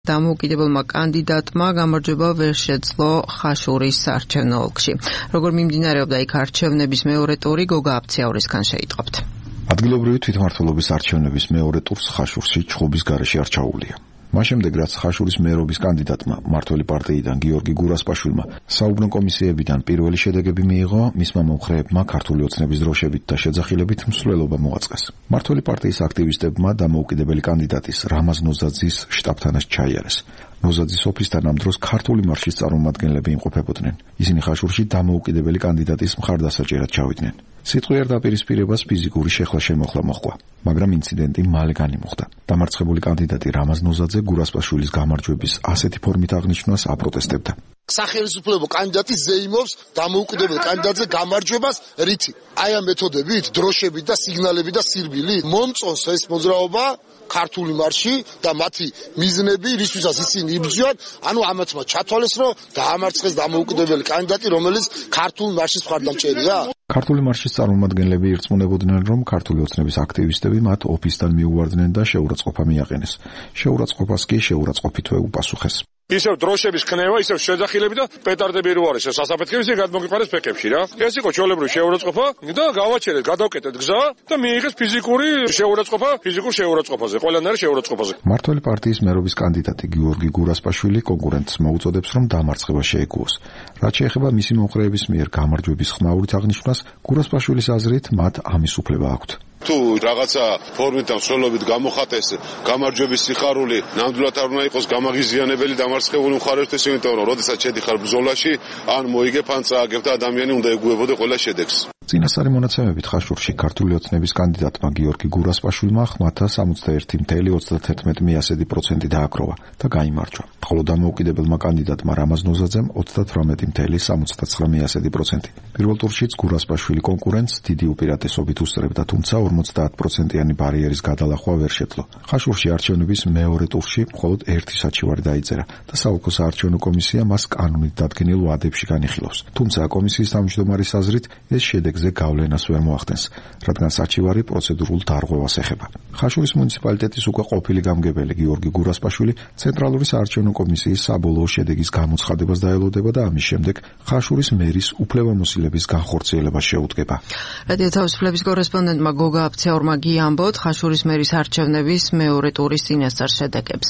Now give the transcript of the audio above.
დამოუკიდებელმა კანდიდატმა გამარჯვება ვერ შეძლო ხაშურის საარჩევნო ოლქში. Როგორ მიმდინარეობდა იქ არჩევნების მეორე ტური, გოგა აფციაურისგან შეიტყობთ. ადგილობრივი თვითმმართველობის არჩევნების მეორე ტურს ხაშურში ჩხუბის გარეშე არ ჩაუვლია. მას შემდეგ, რაც ხაშურის მერობის კანდიდატმა მმართველი პარტიიდან გიორგი გურასპაშვილმა საუბნო კომისიებიდან პირველი შედეგები მიიღო, მისმა მომხრეებმა ქართული ოცნების დროშებით და შეძახილებით მსვლელობა მოაწყეს. მმართველი პარტიის აქტივისტებმა დამოუკიდებელი კანდიდატის რამაზ ნოზაძის შტაბთანაც ჩაიარეს. ნოზაძის ოფისთან ამ დროს ქართული მარშის წარმომადგენლები იმყოფებოდნენ. ისინი ხაშურში დამოუკიდებელი კანდიდატის მხარდასაჭერად ჩავიდნენ. სიტყვიერ დაპირისპირებას ფიზიკური შეხლა-შემოხლა მოჰყვა, მაგრამ ინციდენტი მალე განიმუხტა. დამარცხებული კანდიდატი რამაზ ნოზაძე გურასპაშვილის გამარჯვების ასეთი ფორმით აღნიშნვას აპროტესტებდა. სახელმწიფო კანდიდატი ზეიმობს დამოუკიდებელ კანდიდატზე გამარჯვებას რითი? აი ამ მეთოდებით, დროშებით და სიგნალებით და სირბილით მომწონს ეს მოძრაობა ქართული მარში და მათი მიზნები, რისთვისაც ისინი იბრძვიან, ანუ ამათმა ჩათვალეს, რომ დაამარცხეს დამოუკიდებელი კანდიდატი, რომელიც ქართული მარშის მხარდამჭერია. ქართული მარშის წარმომადგენლები ირწმუნებოდნენ, რომ ქართული ოცნების აქტივისტები მათ ოფისთან მიუვარდნენ და შეურაცხყოფა მიაყენეს. შეურაცხყოფას კი შეურაცხყოფითვე უპასუხეს. ისევ დროშების ქნევა, ისევ შეძახილები და პეტარდები რო არის სასაფეთქების ისე გადმოგიყარეს ფეკებში რა. ეს იყო ჩვეულებრივი შეურაცხყოფა და გავაჩერეთ, გადავკეტეთ გზა და მიიღეს ფიზიკური შეურაცხყოფა, ფიზიკურ შეურაცხყოფაზე, ყველანაირი შეურაცხყოფაზე. მმართველი პარტიის მერობის კანდიდატი გიორგი გურასპაშვილი კონკურენტს მოუწოდებს, რომ დამარცხება შეეგუოს. რაც შეეხება მისი მომხრეების მიერ გამარჯვების ხმაურით აღნიშნვას, გურასპაშვილის აზრით მათ ამის უფლება აქვთ. თუ რაღაცა ფორმით და მსვლელობით გამოხატეს გამარჯვების სიხარული, ნამდვილად არ უნდა იყოს გამაღიზიანებელი დამარცხებული მხარისთვის, იმიტომ რომ როდესაც შედიხარ ბრძოლაში, ან მოიგებ, ან წააგებ და ადამიანი უნდა ეგუებოდე ყველა შედეგს. წინასწარი მონაცემებით ხაშურში ქართული ოცნების კანდიდატმა გიორგი გურასპაშვილმა ხმათა 61.31% დააგროვა და გაიმარჯვა. ხოლო დამოუკიდებელმა კანდიდატმა რამაზ ნოზაძემ 38.79%. პირველ ტურშიც გურასპაშვილი კონკურენტს დიდი უპირატესობით უსწრებდა, თუმცა 50%-იანი ბარიერის გადალახვა ვერ შეძლო. ხაშურში არჩევნების მეორე ტურში მხოლოდ ერთი საჩივარი დაიწერა და საოლქო საარჩევნო კომისია მას კანონით დადგენილ ვადებში განიხილავს. თუმცა კომისიის თავმჯდომარის აზრით ეს შედეგზე გავლენას ვერ მოახდენს, რადგან საჩივარი პროცედურულ დარღვევას ეხება. ხაშურის მუნიციპალიტეტის უკვე ყოფილი გამგებელი გიორგი გურასპაშვილი ცენტრალური საარჩევნო კომისიის საბოლოო შედეგის გამოცხადებას დაელოდება და ამის შემდეგ ხაშურის მერის უფლებამოსილების განხორციელებას შეუდგება. რადიო თავისუფლების კორესპონდენტმა გოგა აფციაურმა გიამბოთ ხაშურის მერის არჩევნების მეორე ტურის წინასწარ შედეგებზე.